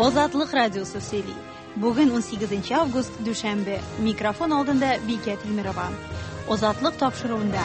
Азатлык радиосы сөйли. Бүген 18 август, дүшәмбе. Микрофон алдында Бикә Тимерова. Азатлык тапшыруында.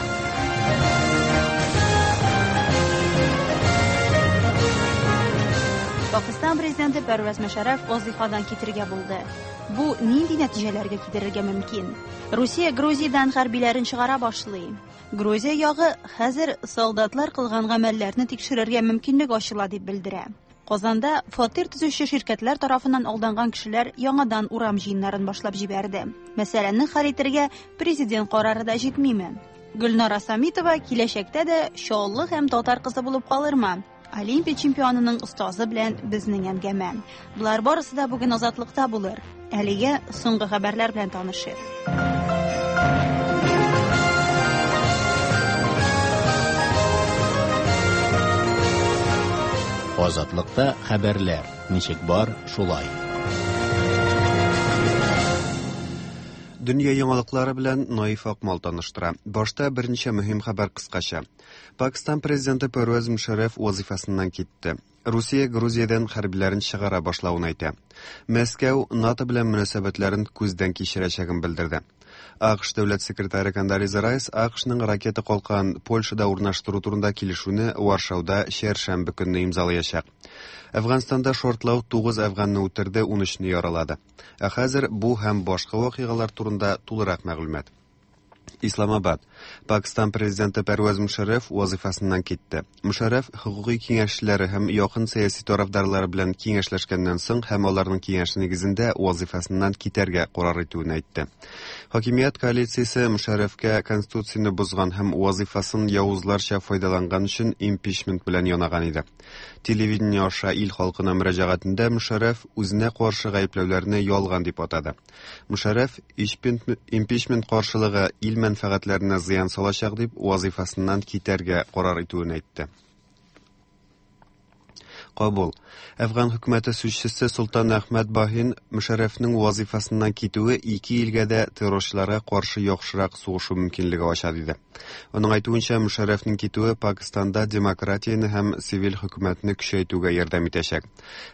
Пакистан президенты Пәрвәз Мөшәрәф вазыйфадан китергә булды. Бу нинди нәтиҗәләргә китерергә мөмкин? Русия Грузиядән хәрбиләрен чыгара башлый. Грузия ягы хәзер солдатлар кылган гамәлләрне тикшерергә мөмкинлек ачыла дип белдерә. Казанда фатир төзүче ширкәтләр тарафыннан алданган кешеләр яңадан урам җыеннарын башлап җибәрде. Мәсьәләне хәл итергә президент карары да җитмиме? Гөлнара Самитова киләчәктә дә Чаллы һәм татар кызы булып калырмы? Олимпия чемпионының остазы белән безнең әңгәмә. Болар барысы да бүген Азатлыкта булыр. Әлегә соңгы хәбәрләр белән танышыйк. Азатлыкта хәбәрләр ничек бар, шулай. Дөнья яңалыклары белән Наиф Акмал таныштыра. Башта берничә мөһим хәбәр кыскача. Пакистан президенты Пәрвәз Мөшәррәф вазыйфасыннан китте. Русия Грузиядән хәрбиләрен чыгара башлавын әйтә. Мәскәү НАТО белән мөнәсәбәтләрен күздән кичерәчәген белдерде. АКШ дәүләт секретаре Кондолиза Райс АКШның ракета калкан Польшада урнаштыру турында килешүне Варшауда чәршәмбе көнне имзалаячак. Әфганстанда шартлау 9 әфганны үтерде, 13-не яралады. Ә хәзер бу һәм башка вакыйгалар турында тулырак мәгълүмат. Исламабад. Пакистан президенты Пәрвәз Мушәррәф вазыйфасыннан китте. Мушәррәф хокукый киңәшчеләре һәм якын сәяси тарафдарлары белән киңәшләшкәннән соң һәм аларның киңәше нигезендә вазыйфасыннан китәргә карар итүен әйтте. Хакимият коалициясе Мушәррәфкә конституцияне бозган һәм вазыйфасын явызларча файдаланган өчен импичмент белән янаган иде. Телевидение аша ил халкына мөрәҗәгатендә Мушәррәф үзенә каршы гаепләүләрне ялган дип атады. Мушәррәф импичмент каршылыгы ил мәнфәгатьләренә зыян салачак дип вазыйфасыннан китәргә карар итүен әйтте. Кабул. Әфган хөкүмәте сүзчесе Солтан Әхмәт Баһин Мушәррәфнең вазыйфасыннан китүе ике илгә дә террорчыларга каршы яхшырак сугышу мөмкинлеге ача диде. Аның әйтүенчә, Мушәррәфнең китүе Пакистанда демократияне һәм цивиль хөкүмәтне көчәйтүгә ярдәм итәчәк.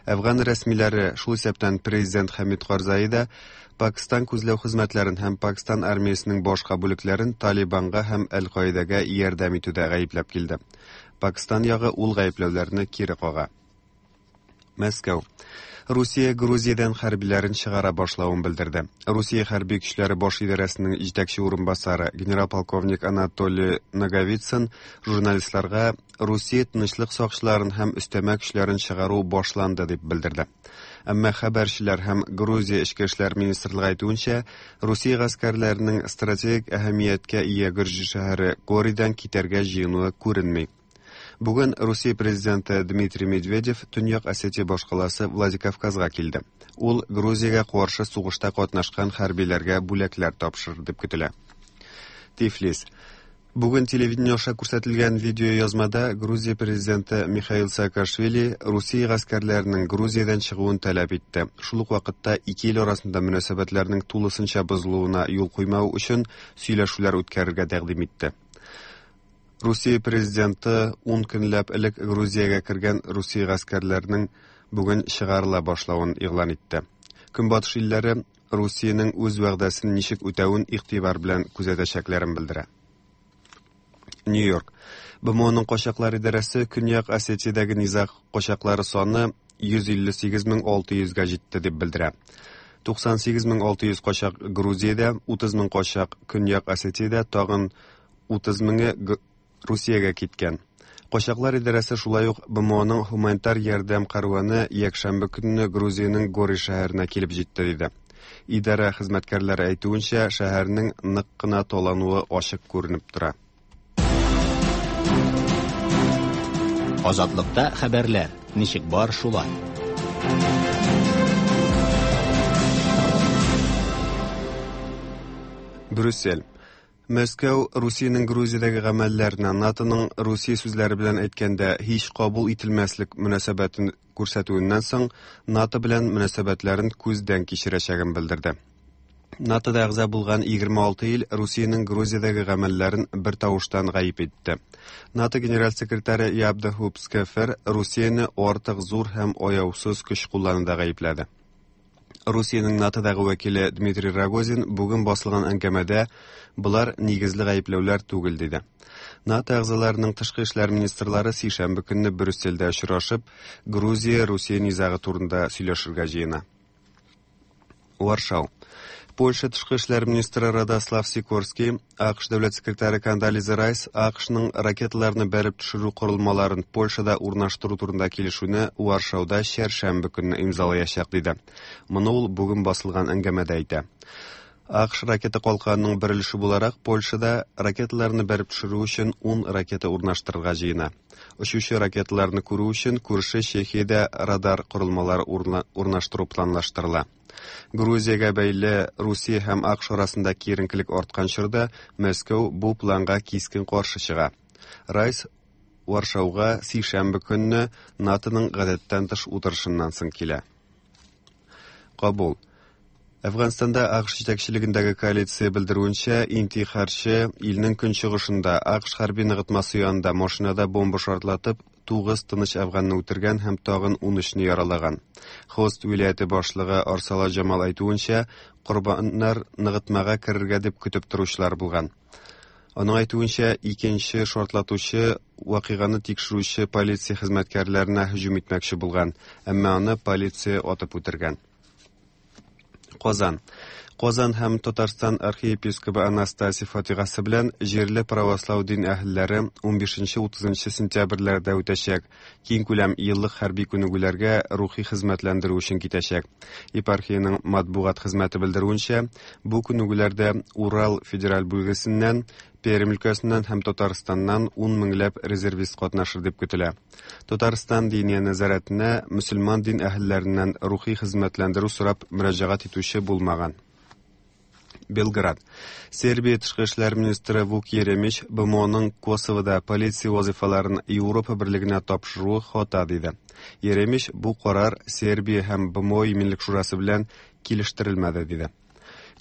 Әфган рәсмиләре, шул исәптән президент Хәмид Карзаи да, Пакистан күзләү хезмәтләрен һәм Пакистан армиясенең башка бүлекләрен Талибанга һәм Әл-Каидәгә ярдәм итүдә гаепләп килде. Пакистан ягы ул гаепләүләрне кире кага. Мәскәү. Русия Грузиядән хәрбиләрен чыгара башлавын белдерде. Русия хәрби көчләре баш идарәсенең җитәкче урынбасары генерал-полковник Анатолий Наговицын журналистларга Русия тынычлык сакчыларын һәм өстәмә көчләрен чыгару башланды дип белдерде. Әмма хәбәрчеләр һәм Грузия эчке эшләр министрлыгы әйтүенчә, Русия гаскәрләренең стратегик әһәмияткә ия гөрҗи шәһәре Горидан китәргә җыенуы күренми. Бүген Русия президенты Дмитрий Медведев Төньяк Осетия башкаласы Владикавказга килде. Ул Грузиягә каршы сугышта катнашкан хәрбиләргә бүләкләр тапшырыр дип көтелә. Тифлис. Бүген телевидение аша күрсәтелгән видеоязмада Грузия президенты Михаил Саакашвили Русия гаскәрләренең Грузиядән чыгуын таләп итте. Шул ук вакытта ике ил арасында мөнәсәбәтләрнең тулысынча бозылуына юл куймау өчен сөйләшүләр үткәрергә тәкъдим итте. Русия президенты 10 көнләп элек Грузиягә кергән Русия гаскәрләренең бүген чыгарыла башлавын игълан итте. Көнбатыш илләре Русиянең үз вәгъдәсен ничек үтәвен игътибар белән күзәтәчәкләрен белдерә. Нью-Йорк. БМОның качаклар идарәсе Көньяк Осетиядәге низаг качаклары саны 158 600-гә җитте дип белдерә. 98 600 качак Грузиядә, 30 мең качак Көньяк Осетиядә, тагын 30 меңе Русиягә киткән. Качаклар идарәсе шулай ук БМОның һуманитар ярдәм кәрваны якшәмбе көнне Грузиянең Гори шәһәренә килеп җитте диде. Идарә хезмәткәрләре әйтүенчә, шәһәрнең нык кына талануы ачык күренеп тора. Азатлыкта хәбәрләр ничек бар, шулай. Брюссель. Мәскәү Русиянең Грузиядәге гамәлләренә НАТОның Русия сүзләре белән әйткәндә һич кабул ителмәслек мөнәсәбәтен күрсәтүеннән соң НАТО белән мөнәсәбәтләрен күздән кичерәчәген белдерде. НАТОда әгъза булган 26 ил Русиянең Грузиядәге гамәлләрен бер тавыштан гаеп итте. НАТО генераль секретаре Яп де Хуп Скефер Русияне артык зур һәм аяусыз көч куллануда гаепләде. Русиянең НАТОдагы вәкиле Дмитрий Рогозин бүген басылган әңгәмәдә болар нигезле гаепләүләр түгел диде. НАТО әгъзаларының тышкы эшләр министрлары сишәмбе көнне Брюссельдә очрашып, Грузия-Русия низагы турында сөйләшергә җыена. Варшау. Польша тышкы эшләр министры Радослав Сикорский, АКШ дәүләт секретаре Кондолиза Райс АКШның ракеталарны бәреп төшерү корылмаларын Польшада урнаштыру турында килешүне Варшауда чәршәмбе көнне имзалаячак диде. Моны ул бүген басылган әңгәмәдә әйтә. АКШ ракета калканының бер өлеше буларак Польшада ракеталарны бәреп төшерү өчен 10 ракета урнаштырырга җыена. Очучы ракеталарны күрү өчен күрше Чехиядә радар корылмалары урнаштыру планлаштырыла. Грузиягә бәйле Русия һәм АКШ арасында киеренкелек арткан чорда Мәскәү бу планга кискен каршы чыга. Райс Варшауга сишәмбе көнне НАТОның гадәттән тыш утырышыннан соң килә. Кабул. Әфганстанда АКШ җитәкчелегендәге коалиция белдерүенчә, интихарчы илнең көнчыгышында АКШ хәрби ныгытмасы янында машинада бомба шартлатып, 9 тыныч әфганны үтергән һәм тагын 13-не яралаган. Хост вилаяте башлыгы Арсала Җамал әйтүенчә, корбаннар ныгытмага керергә дип көтеп торучылар булган. Аның әйтүенчә, икенче шартлатучы вакыйганы тикшерүче полиция хезмәткәрләренә һөҗүм итмәкче булган, әмма аны полиция атып үтергән. Казан. Казан һәм Татарстан архиепископы Анастасий фатихасы белән җирле правослау дин әһелләре 15-30 сентябрьләрдә үтәчәк. Киң күләм еллык хәрби күнегүләргә рухи хезмәтләндерү өчен китәчәк. Епархиянең матбугат хезмәте белдерүенчә, бу күнегүләрдә Урал федераль бүлгесеннән, Пермь өлкәсеннән һәм Татарстаннан 10 меңләп резервист катнашыр дип көтелә. Татарстан диния нәзарәтенә мөселман дин әһелләреннән рухи хезмәтләндерү сорап мөрәҗәгать итүче булмаган. Белград. Сербия тышкы эшләр министры Вук Еремич БМОның Косовода полиция вазифаларын Европа берлегенә тапшыруы хата диде. Еремич бу карар Сербия һәм БМО иминлек шурасы белән килештерелмәде диде.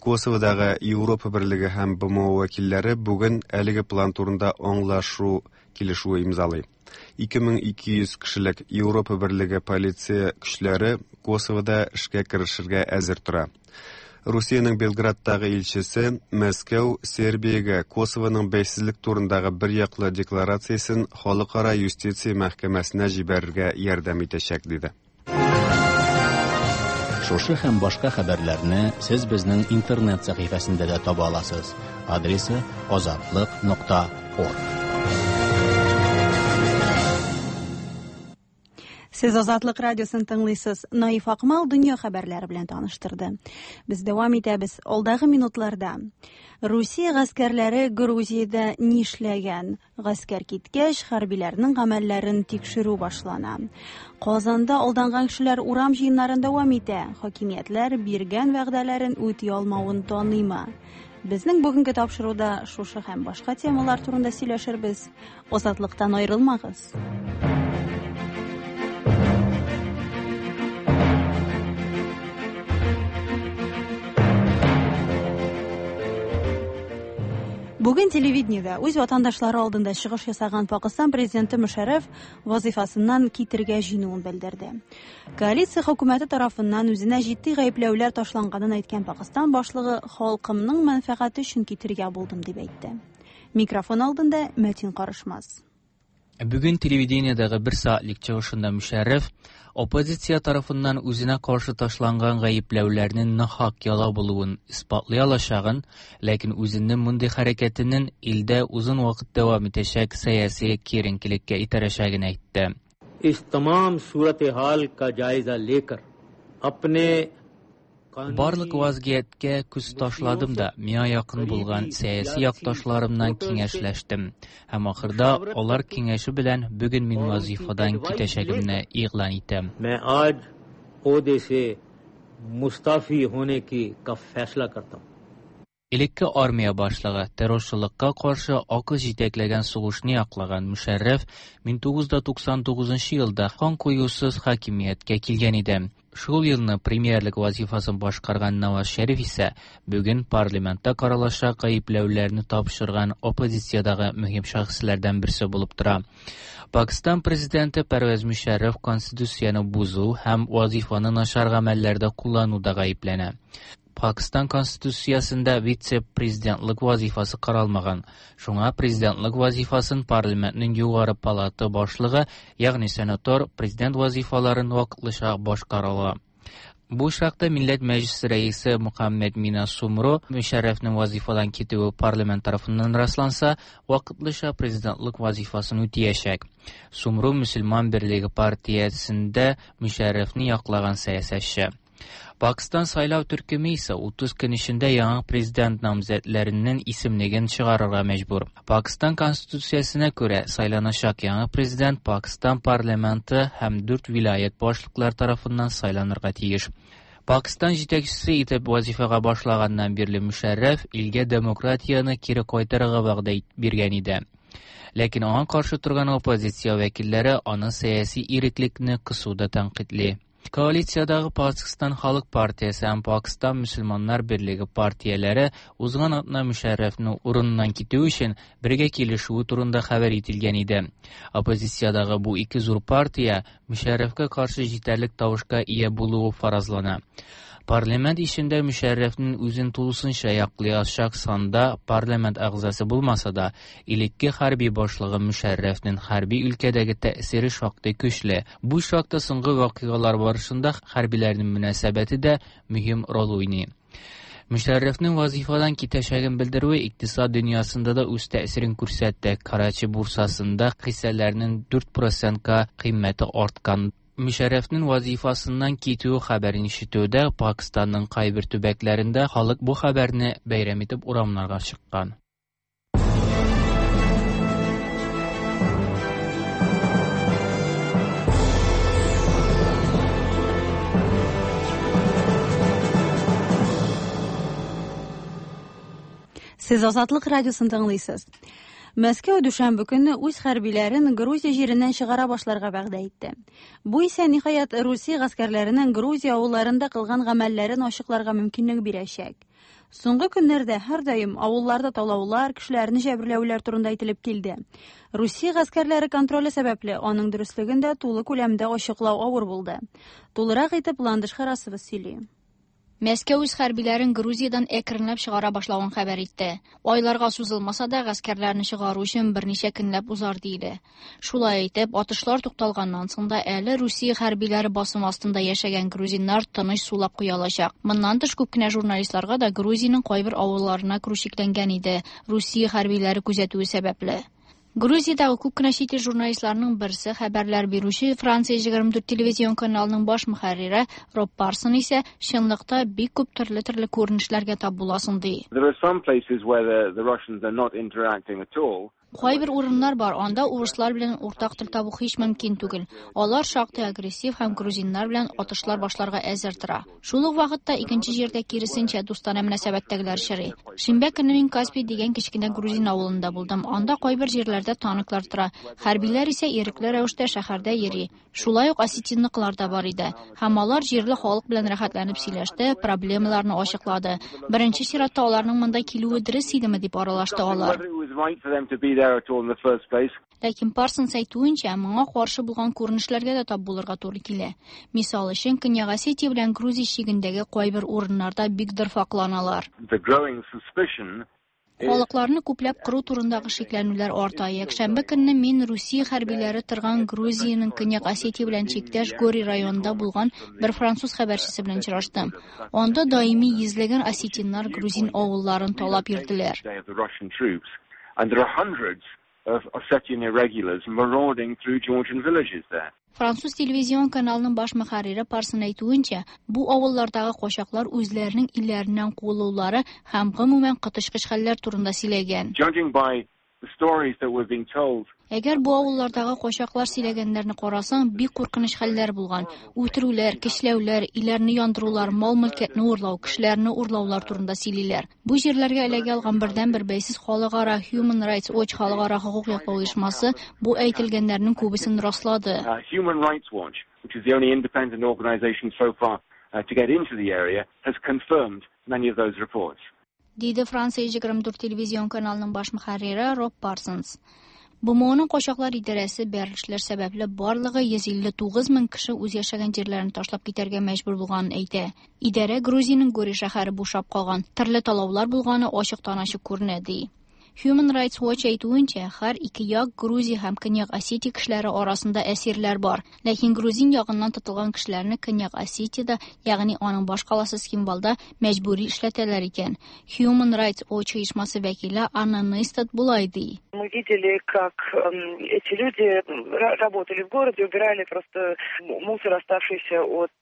Косоводагы Европа берлеге һәм БМО вәкилләре бүген әлеге план турында аңлашу килешүе имзалый. 2200 кешелек Европа берлеге полиция көчләре Косовода эшкә керешергә әзер тора. Русиянең Белградтагы илчесе Мәскәү Сербиягә Косовоның бәйсезлек турындагы бер яклы декларациясен халыкара юстиция мәхкәмәсенә җибәрергә ярдәм итәчәк диде. Шушы һәм башка хәбәрләрне сез безнең интернет сәхифәсендә дә таба аласыз. Адресы azatliq.org. Сез Азатлык радиосын тыңлыйсыз. Наиф Акмал дөнья хәбәрләре белән таныштырды. Без дәвам итәбез. Алдагы минутларда Русия гаскәрләре Грузиядә нишләгән? Гаскәр киткәч, хәрбиләрнең гамәлләрен тикшерү башлана. Казанда алданган кешеләр урам җыеннарын дәвам итә. Хакимиятләр биргән вәгъдәләрен үти алмавын таныймы? Безнең бүгенге тапшыруда шушы һәм башка темалар турында сөйләшербез. Азатлыктан аерылмагыз. Бүген телевидениедә үз ватандашлары алдында чыгыш ясаган Пакыстан президенты Мөшәррәф вазифасыннан китергә җыенуын белдерде. Коалиция хөкүмәте тарафыннан үзенә җитди гаепләүләр ташланганын әйткән Пакыстан башлыгы халкымның мәнфәгате өчен китергә булдым дип әйтте. Микрофон алдында Мәтин Карышмаз. Бүген телевидениедәге бер сәгатьлек чыгышында Мөшәррәф оппозиция тарафыннан үзенә каршы ташланган гаепләүләрнең нахак яла булуын исбатлый алачагын, ләкин үзенең мондый хәрәкәтенең илдә озын вакыт дәвам итәчәк сәяси киеренкелеккә итәрәчәген әйтте. इस तमाम सूरत हाल का जायजा लेकर अपने Барлык вазгыятькә күз ташладым да, миңа якын булган сәяси якташларымнан киңәшләштем. Һәм ахырда алар киңәше белән бүген мин вазифадан китәчәгемне игълан итәм. मैं आज ओहदे से मुस्ताफी होने की का फैसला करता हूँ। Элекке армия башлыгы террорчылыкка каршы АКШ җитәкләгән сугышны яклаган Мөшәррәф 1999 елда кан коюсыз хакимияткә килгән иде. Шул елны премьерлык вазифасын башкарган Наваз Шәриф исә бүген парламентта каралачак гаепләүләрне тапшырган оппозициядәге мөһим шәхесләрдән берсе булып тора. Пакистан президенты Пәрвәз Мөшәррәф конституцияне бозу һәм вазифаны начар гамәлләрдә куллануда гаепләнә. Пакистан конституциясендә вице-президентлык вазифасы каралмаган. Шуңа президентлык вазифасын парламентның югары палата башлыгы, ягъни сенатор, президент вазифаларын вакытлыча башкара ала. Бу очракта Милләт Мәҗлесе рәисе Мөхәммәд Мина Сумро Мөшәррәфнең вазифадан китүе парламент тарафыннан расланса, вакытлыча президентлык вазифасын үтәячәк. Сумро Мөселман берлеге партиясендә Мөшәррәфне яклаган сәясәтче. Пакистан сайлау төркеме исә 30 көн эчендә яңа президент намзәтләренең исемлеген чыгарырга мәҗбүр. Пакистан конституциясенә күрә сайланачак яңа президент Пакистан парламенты һәм 4 вилаять башлыклары тарафыннан сайланырга тиеш. Пакистан җитәкчесе итеп вазифага башлаганнан бирле Мөшәррәф илгә демократияне кире кайтарырга вәгъдә биргән иде. Ләкин аңа каршы торган оппозиция вәкилләре аны сәяси иреклекне кысуда тәнкыйтьли. Коалициядагы Пакистан Халык партиясе һәм Пакистан Мөселманнар берлеге партияләре узган атна Мөшәррәфнең урыныннан китү өчен бергә килешүе турында хәбәр ителгән иде. Оппозициядагы бу ике зур партия Мөшәррәфкә каршы җитәрлек тавышка ия булуы фаразлана. Парламент эчендә Мөшәррәфнең үзен тулысынча яклаячак санда парламент әгъзасы булмаса да, элекке хәрби башлыгы Мөшәррәфнең хәрби өлкәдәге тәэсире шактый көчле. Бу очракта соңгы вакыйгалар барышында хәрбиләрнең мөнәсәбәте дә мөһим роль уйный. Мөшәррәфнең вазифадан китәчәген белдерүе икътисад дөньясында да үз тәэсирен күрсәтте. Карачи бурсасында хиссәләрнең 4%-ка кыйммәте арткан. Мөшәррәфнең вазифасыннан китүе хәбәрен ишетүдә Пакистанның кайбер төбәкләрендә халык бу хәбәрне бәйрәм итеп урамнарга чыккан. Сез Азатлык радиосын тыңлыйсыз. Мәскәү дүшәмбе көнне үз хәрбиләрен Грузия җиреннән чыгара башларга вәгъдә итте. Бу исә ниһаять Русия гаскәрләренең Грузия авылларында кылган гамәлләрен ачыкларга мөмкинлек бирәчәк. Соңгы көннәрдә һәрдаим авылларда талаулар, кешеләрне җәберләүләр турында әйтелеп килде. Русия гаскәрләре контроле сәбәпле аның дөреслеген дә тулы күләмдә ачыклау авыр булды. Тулырак итеп Ландыш Харасова сөйли. Мәскәү үз хәрбиләрен Грузиядан әкренләп чыгара башлавын хәбәр итте. Айларга сузылмаса да, гаскәрләрне чыгару өчен берничә көнләп узар диелә. Шулай итеп, атышлар тукталганнан соң да әле Русия хәрбиләре басым астында яшәгән грузиннар тыныч сулап куя алачак. Моннан тыш күп кенә журналистларга да Грузиянең кайбер авылларына керү чикләнгән иде, Русия хәрбиләре күзәтүе сәбәпле. Грузиядагы күп кенә чит ил журналистларының берсе хәбәрләр бирүче Франция 24 телевизион каналының баш мөхәррире Роб Парсон исә чынлыкта бик күп төрле-төрле күренешләргә тап буласың ди. There are some places where the Russians are not interacting at all. Кайбер урыннар бар, анда урыслар белән уртак тел табу һич мөмкин түгел. Алар шактый агрессив һәм грузиннар белән атышлар башларга әзер тора. Шул ук вакытта икенче җирдә киресенчә дустанә мөнәсәбәттәгеләр очрый. Шимбә көнне мин Каспий дигән кечкенә грузин авылында булдым. Анда кайбер җирләрдә танклар тора. Хәрбиләр исә ирекле рәвештә шәһәрдә йөри. Шулай ук осетинныкылар да бар иде. Һәм алар җирле халык белән рәхәтләнеп сөйләште, проблемаларны ачыклады. Беренче чиратта аларның монда килүе дөрес идеме дип аралашты алар. Whether it was right for them to be there at all in the first place. Ләкин Парсонс әйтүенчә, моңа каршы булган күренешләргә дә тап булырга туры килә. Мисал өчен, Көньяк Осетия белән Грузия чигендәге кайбер урыннарда бик дырфакланалар. The growing suspicion Халыкларны күпләп кыру турындагы шикләнүләр арта. Якшәмбе көнне мин Русия хәрбиләре торган Грузиянең Көньяк Осетия белән чиктәш Гори районында булган бер француз хәбәрчесе белән очраштым. Анда даими йөзләгән осетиннар грузин авылларын талап йөрделәр. Day of the Russian troops, and there are hundreds of Ossetian irregulars marauding through Georgian villages there. Француз телевизион каналының баш мөхәррире Парсон әйтүенчә, бу авыллардагы качаклар үзләренең илләреннән куылулары һәм гомумән коточкыч хәлләр турында сөйләгән. Judging by the stories that were being told, Әгәр бу авыллардагы качаклар сөйләгәннәрне карасаң, бик куркыныч хәлләр булган. Үтерүләр, көчләүләр, өйләрне яндырулар, мал-мөлкәтне урлау, кешеләрне урлаулар турында сөйлиләр. Бу җирләргә эләгә алган бердәнбер бәйсез халыкара Human Rights Watch халыкара хокук яклау оешмасы бу әйтелгәннәрнең күбесен раслады. Human Rights Watch, which is the only independent organization so far to get into the area, has confirmed many of those reports. Диде Франция 24 телевизион каналының баш мөхәррире Роб Парсонс. БМОның качаклар идарәсе бәрелешләр сәбәпле барлыгы 159 мең кеше үз яшәгән җирләрен ташлап китәргә мәҗбүр булганын әйтә. Идарә Грузиянең Гори шәһәре бушап калган, төрле талаулар булганы ачыктан-ачык күренә, ди. Human Rights Watch әйтүенчә, һәр ике як Грузия һәм Көньяк Осетия кешеләре арасында әсирләр бар. Ләкин грузин ягыннан тотылган кешеләрне Көньяк Осетиядә, ягъни аның баш каласы Цхинвалда мәҗбүри эшләтәләр икән. Human Rights Watch оешмасы вәкиле Анна Нейстат болай ди. Мы видели, как эти люди работали в городе, убирали просто мусор, оставшийся от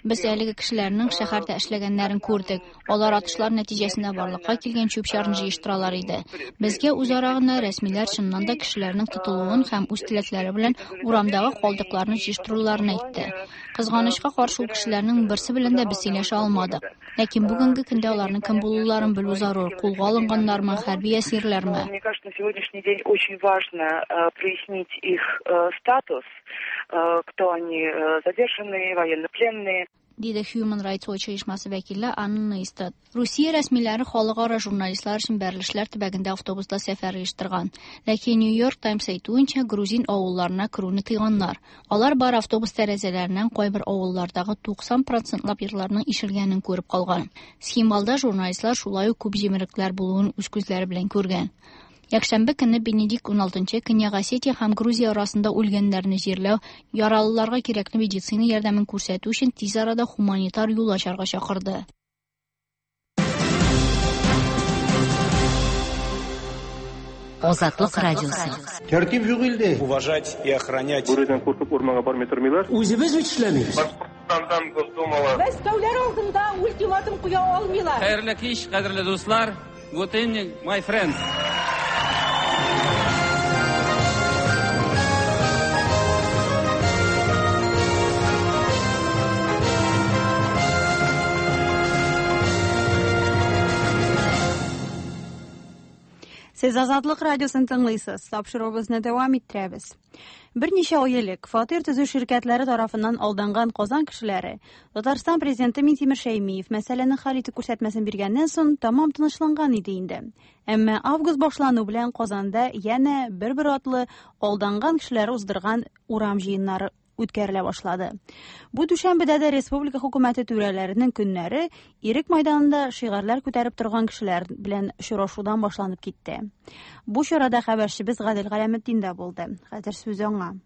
Без әлеге кешеләрнең шәһәрдә эшләгәннәрен күрдек. Алар атышлар нәтиҗәсендә барлыкка килгән чүп-чарны җыештыралар иде. Безгә үзара гына рәсмиләр чыннан да кешеләрнең тотылуын һәм үз теләкләре белән урамдагы калдыкларны җыештыруларын әйтте. Кызганычка каршы, ул кешеләрнең берсе белән дә без сөйләшә алмадык. Ләкин бүгенге көндә аларның кем булуларын белү зарур. Кулга алынганнармы, хәрби әсирләрме? Мне кажется, на сегодняшний день очень важно прояснить их статус, кто они, задержанные, военнопленные. Диде Human Rights Watch оешмасы вәкиле Анна Нейстат. Русия рәсмиләре халыкара журналистлар өчен бәрелешләр төбәгендә автобуста сәфәр оештырган. Ләкин New York Times әйтүенчә, грузин авылларына керүне тыйганнар. Алар бар автобус тәрәзәләреннән кайбер авыллардагы 90 процентлап йортларның ишелгәнен күреп калган. Цхинвалда журналистлар шулай ук күп җимерекләр булуын үз күзләре белән күргән. Якшәмбе көнне Бенедикт XVI Көньяк Осетия һәм Грузия арасында үлгәннәрне җирләү, яралыларга кирәкле медицина ярдәмен күрсәтү өчен тиз арада гуманитар юл ачарга чакырды. Азатлык радиосы. Тәртип юк илдә. Уважать и охранять. Бүредән куркып урманга бармый тормыйлар. Үзебез бит эшләмибез. Башкортстандан Госдумала. Мәскәүләр алдында ультиматум куя алмыйлар. Хәерле кич, кадерле дуслар. Good evening, my friends. Сез Азатлык радиосын тыңлыйсыз. Тапшыруыбызны дәвам иттерәбез. Берничә ай элек фатир төзү ширкәтләре тарафыннан алданган Казан кешеләре Татарстан президенты Минтимер Шәймиев мәсьәләне хәл итү күрсәтмәсен биргәннән соң тамам тынычланган иде инде. Әмма август башлану белән Казанда янә бер-бер атлы алданган кешеләр уздырган урам җыеннары үткәрелә башлады. Бу дүшәмбедә дә республика хөкүмәте түрәләренең көннәре Ирек майданында шигарьләр күтәреп торган кешеләр белән очрашудан башланып китте. Бу чарада хәбәрчебез Гадел Галәметдин дә булды. Хәзер сүз аңа.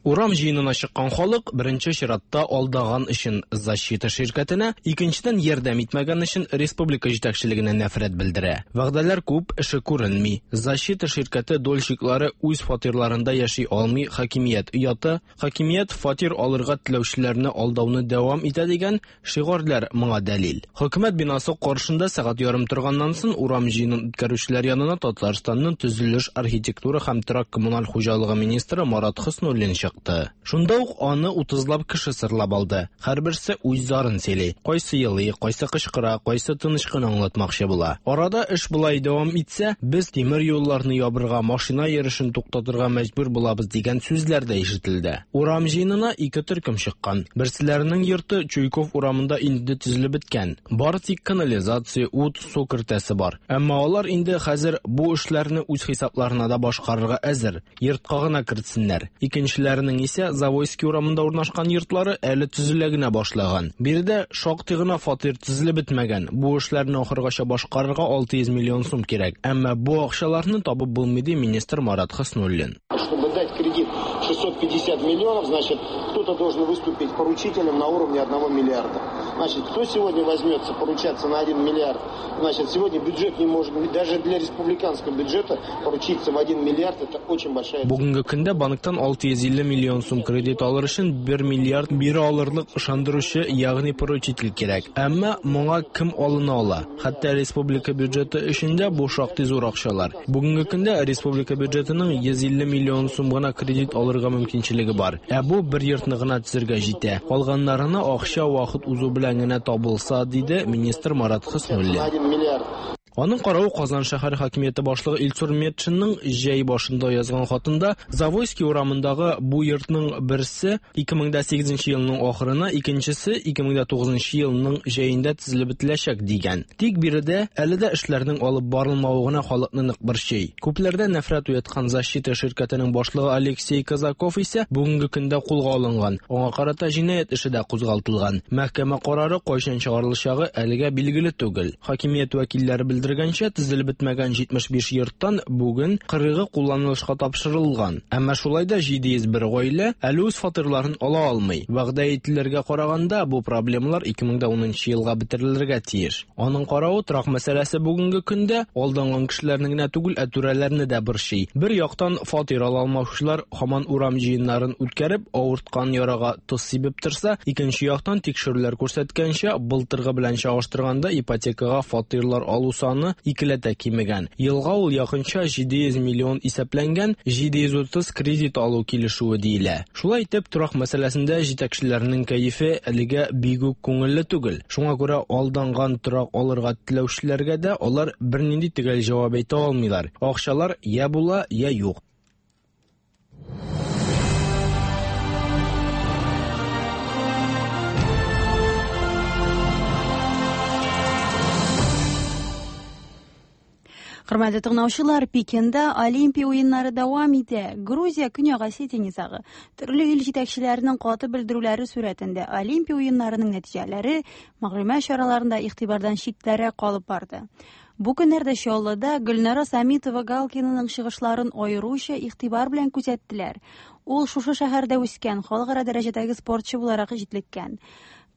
Урам җыенына чыккан халык беренче чиратта алдаган өчен Защита ширкәтенә, икенчедән ярдәм итмәгән өчен республика җитәкчелегенә нәфрәт белдерә. Вәгъдәләр күп, эше күренми. Защита ширкәте дольщиклары үз фатирларында яши алмый, хакимият ояты, хакимият фатир алырга теләүчеләрне алдауны дәвам итә дигән шигарьләр моңа дәлил. Хөкүмәт бинасы каршында сәгать ярым торганнан соң урам җыенын үткәрүчеләр янына Татарстанның төзелеш, архитектура һәм торак коммуналь хуҗалыгы министры Марат Хөснуллин чыкты. Шунда ук аны 30лап кеше сырлап алды. Һәрберсе үз зарын сөйли. Кайсы елый, кайсы кычкыра, кайсы тыныч кына аңлатмакчы була. Арада эш болай дәвам итсә, без тимер юлларны ябырга, машина йөрешен туктатырга мәҗбүр булабыз дигән сүзләр дә ишетелде. Урам җыенына ике төркем чыккан. Берселәренең йорты Чуйков урамында инде төзелеп беткән. Бары тик канализация, ут, су кертәсе бар. Әмма алар инде хәзер бу эшләрне үз хисапларына да башкарырга әзер. Йортка гына кертсеннәр. Икенчеләренең исә Завойский урамында урнашкан йортлары әле төзелә генә башлаган. Биредә шактый гына фатир төзелеп бетмәгән. Бу эшләрне ахыргача башкарырга 600 миллион сум кирәк. Әмма бу акчаларны табып булмый, ди министр Марат Хөснуллин. Чтобы дать кредит 650 миллионов, значит, кто-то должен выступить поручителем на уровне 1 миллиарда. Значит, кто сегодня возьмется поручаться на 1 миллиард? Значит, сегодня бюджет не может, даже для республиканского бюджета поручиться в 1 миллиард, это очень большая... Бүгенге көндә банктан 650 миллион сум кредит алыр өчен 1 миллиард бирә алырлык ышандыручы, ягъни поручитель кирәк. Әмма моңа кем алына ала? Хәтта республика бюджеты өчен дә бу шактый зур акчалар. Бүгенге көндә республика бюджетының 150 миллион сум гына кредит алырга мөмкинчелеге бар. Ә бу бер йортны гына төзергә җитә. Калганнарына акча вакыт узу белән генә табылса, диде министр Марат Хөснуллин. Аның каравы Казан шәһәр хакимияте башлыгы Илсур Метшинның җәй башында язган хатында Завойский урамындагы бу йортның берсе 2008 елның ахырына, икенчесе 2009 елның җәендә төзелеп бетеләчәк дигән. Тик биредә әле дә эшләрнең алып барылмавы гына халыкны нык борчый. Күпләрдә нәфрәт уяткан Защита ширкәтенең башлыгы Алексей Казаков исә бүгенге көндә кулга алынган. Аңа карата җинаять эше дә кузгалтылган. Мәхкәмә карары кайчан чыгарылачагы әлегә билгеле түгел. Хакимият вәкилләре белдергәнчә, төзелеп бетмәгән 75 йорттан бүген 40-ы кулланылышка тапшырылган. Әмма шулай да 701 гаилә әле үз фатирларын ала алмый. Вәгъдә ителергә караганда, бу проблемалар 2010 елга бетерелергә тиеш. Аның каравы, торак мәсьәләсе бүгенге көндә алданган кешеләрне генә түгел, ә түрәләрне дә борчый. Бер яктан фатир ала алмаучылар һаман урам җыеннарын үткәреп, авырткан ярага тоз сибеп торса, икенче яктан тикшерүләр күрсәткәнчә, былтыргы белән чагыштырганда ипотекага фатирлар алу саны икеләтә кимегән. Елга ул якынча 700 миллион исәпләнгән, 730 кредит алу килешүе диелә. Шулай итеп, торак мәсьәләсендә җитәкчеләрнең кәефе әлегә бик үк күңелле түгел. Шуңа күрә алданган торак алырга теләүчеләргә дә алар бернинди төгәл җавап әйтә алмыйлар. Акчалар я була, я юк. Хөрмәтле тыңлаучылар, Пекинда Олимпия уеннары дәвам итә. Грузия Көньяк Осетия низагы төрле ил җитәкчеләренең каты белдерүләре сурәтендә Олимпия уеннарының нәтиҗәләре мәгълүмат чараларында игътибардан читтәрәк калып барды. Бу көннәрдә Чаллыда Гөлнара Самитова Галкинаның чыгышларын аеруча игътибар белән күзәттеләр. Ул шушы шәһәрдә үскән, халыкара дәрәҗәдәге спортчы буларак җитлеккән.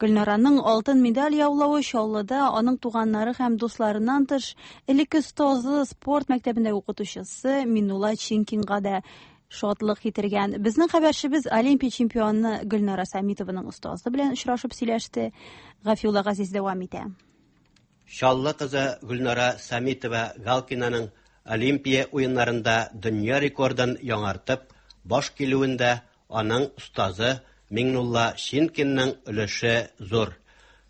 Гөлнараның алтын медаль яулавы Чаллыда аның туганнары һәм дусларыннан тыш элекке остазы, спорт мәктәбендә укытучысы Минулла Чинкинга да шатлык китергән. Безнең хәбәрчебез Олимпия чемпионы Гөлнара Самитованың остазы белән очрашып сөйләште. Гафиулла Газиз дәвам итә. Чаллы кызы Гөлнара Самитова Галкинаның Олимпия уеннарында дөнья рекордын яңартып, баш килүендә аның остазы Миңнулла Шинкинның өлеше зур.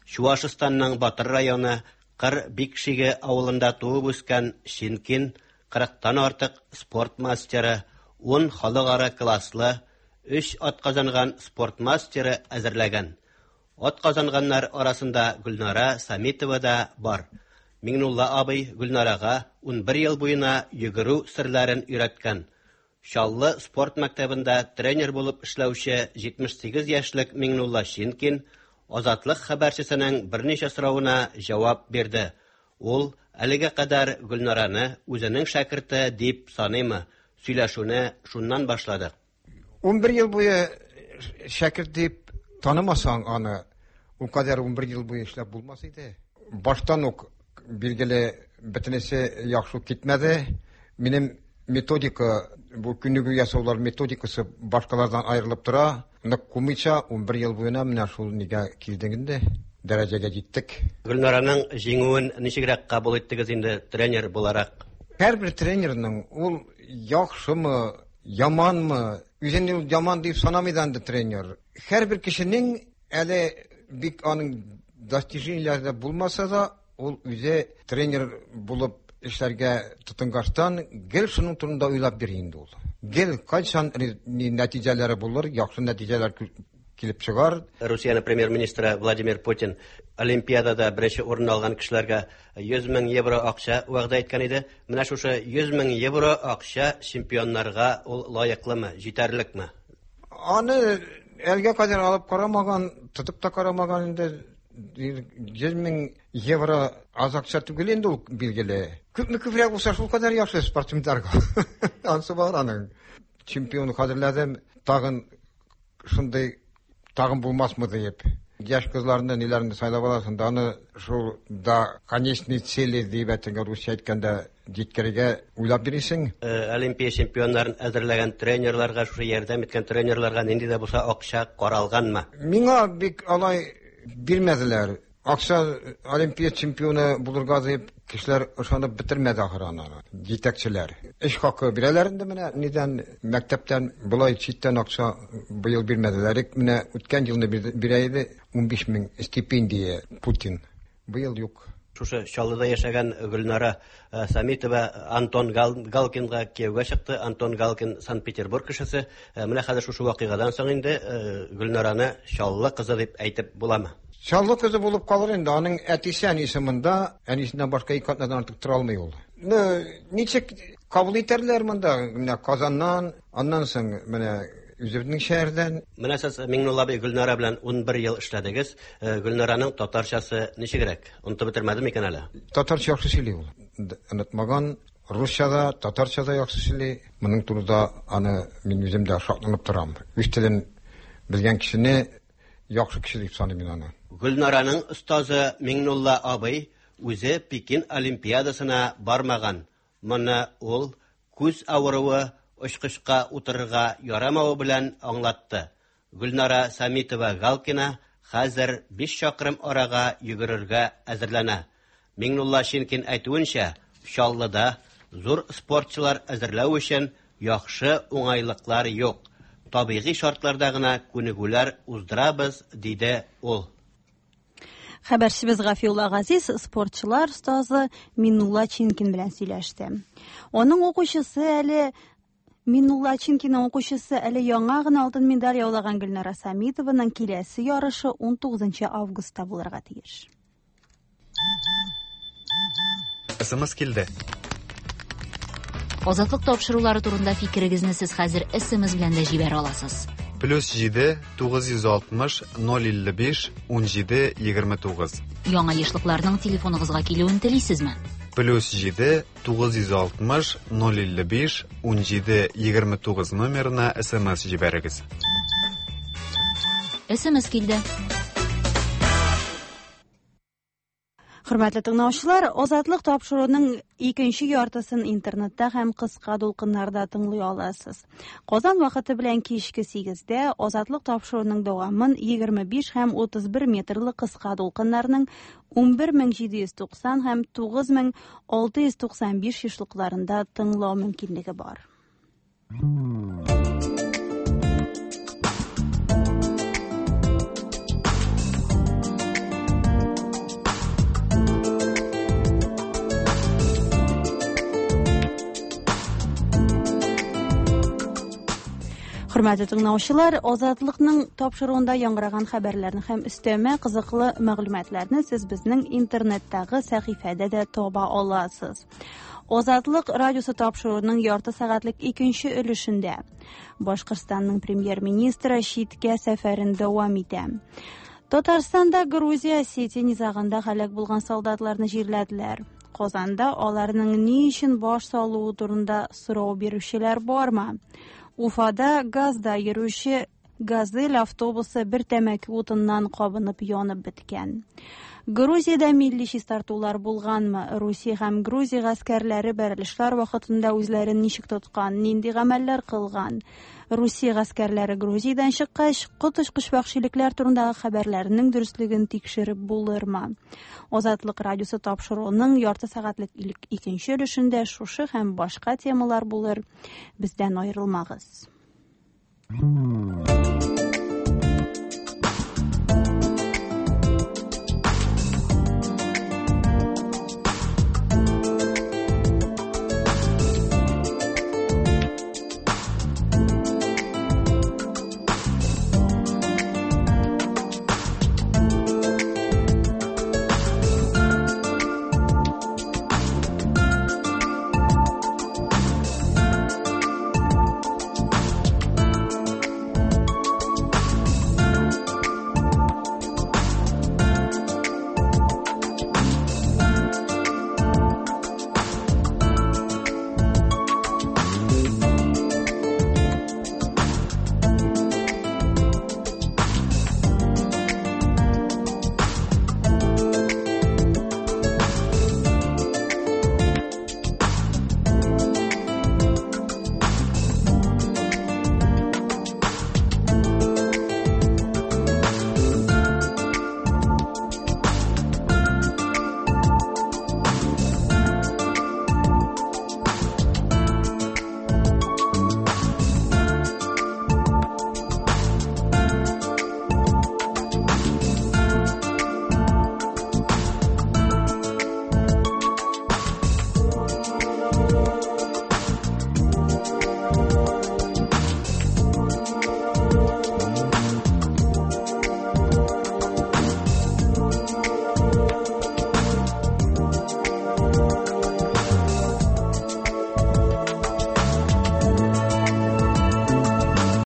Чуашстанның Батыр районы Кыр Бикшиге авылында туып үскән Шинкин 40-тан артык спорт мастеры, 10 халыкара класслы, 3 атказанган спорт мастеры әзерләгән. Атказанганнар арасында Гөлнара Самитова да бар. Миңнулла абый Гөлнарага 11 ел буена йөгерү серләрен өйрәткән. Чаллы спорт мәктәбендә тренер булып эшләүче 78 яшьлек Миңнулла Шинкин Азатлык хәбәрчесенең берничә соравына җавап бирде. Ул әлегә кадәр Гөлнараны үзенең шәкерте дип саныймы? Сөйләшүне шуннан башладык. 11 ел буе шәкерт дип танымасаң аны, ул кадәр 11 ел буе эшләп булмас иде. Баштан ук билгеле бөтенесе яхшы китмәде. Минем методика, бу күнегү ясаулар методикасы башкалардан аерылып тора. Нык кумыйча 11 ел буена менә шул нигә килдек инде, дәрәҗәгә җиттек. Гөлнараның җиңүен ничегрәк кабул иттегез инде тренер буларак? Һәрбер тренерның ул яхшымы, яманмы, үзен ул яман дип санамый да инде тренер. Һәрбер кешенең әле бик аның достижениеләре дә булмаса да, ул үзе тренер булып эшләргә тотынгачтан гел шуның турында уйлап йөри инде ул. Гел кайчан нәтиҗәләре булыр, яхшы нәтиҗәләр килеп чыгар. Русиянең премьер-министры Владимир Путин Олимпиадада беренче урын алган кешеләргә 100 мең евро акча вәгъдә иткән иде. Менә шушы 100 мең евро акча чемпионнарга ул лаеклымы, җитәрлекме? Аны әлгә кадәр алып карамаган, тотып та карамаган инде. 100 мең евро аз акча түгел инде ул, билгеле. Күпме күбрәк булса, шул кадәр яхшы спортсменнарга. Ансы бар аның. Чемпион хәзерләдем, тагын шундый тагын булмасмы диеп. Яшь кызларны, ниләрне сайлап аласың да, аны шул до конечной цели дип әйткәндә, русча әйткәндә, җиткерергә уйлап йөрисең. Олимпия чемпионнарын әзерләгән тренерларга, шушы ярдәм иткән тренерларга нинди дә булса акча каралганмы? Миңа бик алай бирмәделәр. Акча Олимпия чемпионы булырга дип кешеләр ышанып бетермәде ахыры аны, җитәкчеләр. Эш хакы бирәләр инде менә нидән, мәктәптән болай читтән акча быел бирмәделәр. Менә үткән елны бирә иде 15 мең стипендия Путин. Быел юк. Шушы Чаллыда яшәгән Гөлнара Самитова Антон Галкинга кияүгә чыкты. Антон Галкин Санкт-Петербург кешесе. Менә хәзер шушы вакыйгадан соң инде Гөлнараны Чаллы кызы дип әйтеп буламы? Чаллы кызы булып калыр инде. Аның әтисе әнисе монда, әнисеннән башка ике атнадан артык тора алмый ул. Ну, ничек кабул итәрләр монда? Менә Казаннан, аннан соң менә үзебезнең шәһәрдән. Менә сез Миңнулла абый Гөлнара белән 11 ел эшләдегез. Гөлнараның татарчасы ничегрәк? Онытып бетермәде микән әле? Татарча яхшы сөйли ул. Онытмаган. Русча да, татарча да яхшы сөйли. Моның турында аны мин үзем дә шатланып торам. Үз телен белгән кешене яхшы кеше дип саныйм мин аны. Гөлнараның остазы Миңнулла абый үзе Пекин Олимпиадасына бармаган. Моны ул күз авыруы, очкычка утырырга ярамавы белән аңлатты. Гөлнара Самитова Галкина хәзер 5 чакрым арага йөгерергә әзерләнә. Миңнулла Шинкин әйтүенчә, Чаллыда зур спортчылар әзерләү өчен яхшы уңайлыклар юк. Табигый шартларда гына күнегүләр уздырабыз, диде ул. Хәбәрчебез Гафиулла Газиз спортчылар остазы Миннулла Чинкин белән сөйләште. Аның укучысы әле Миннулла Чинкинның укучысы әле яңа гына алтын медаль яулаган Гөлнара Самитованың киләсе ярышы 19 августта булырга тиеш. СМС килде. Азатлык тапшырулары турында фикерегезне сез хәзер СМС белән дә җибәрә аласыз. Плюс 7 960 055 17 29. Яңа ешлыкларның телефоныгызга килүен телисезме? Плюс 7 960 055 17 29 номерына СМС җибәрегез. СМС килде. Хөрмәтле тыңлаучылар, Азатлык тапшыруының икенче яртысын интернетта һәм кыска дулкыннарда тыңлый аласыз. Казан вакыты белән кичке 8-дә Азатлык тапшыруының дәвамын 25 һәм 31 метрлы кыска дулкыннарның 11790 һәм 9695 ешлыкларында тыңлау мөмкинлеге бар. Хөрмәтле тыңлаучылар, Азатлыкның тапшыруында яңгыраган хәбәрләрне һәм өстәмә кызыклы мәгълүматларны сез безнең интернеттагы сәхифәдә дә таба аласыз. Азатлык радиосы тапшыруының ярты сәгатьлек икенче өлешендә Башкортстанның премьер-министры читкә сәфәрен дәвам итә. Татарстанда Грузия Осетия низагында һәлак булган солдатларны җирләделәр. Казанда аларның ни өчен баш салуы турында сорау бирүчеләр бармы? Уфада газда йөрүче «Газель» автобусы бер тәмәке утыннан кабынып янып беткән. Грузиядә милли чистартулар булганмы? Русия һәм Грузия гаскәрләре бәрелешләр вакытында үзләрен ничек тоткан, нинди гамәлләр кылган? Русия гаскәрләре Грузиядән чыккач, коточкыч вәхшилекләр турындагы хәбәрләрнең дөреслеген тикшереп булырмы? Азатлык радиосы тапшыруының ярты сәгатьлек икенче өлешендә шушы һәм башка темалар булыр. Бездән аерылмагыз.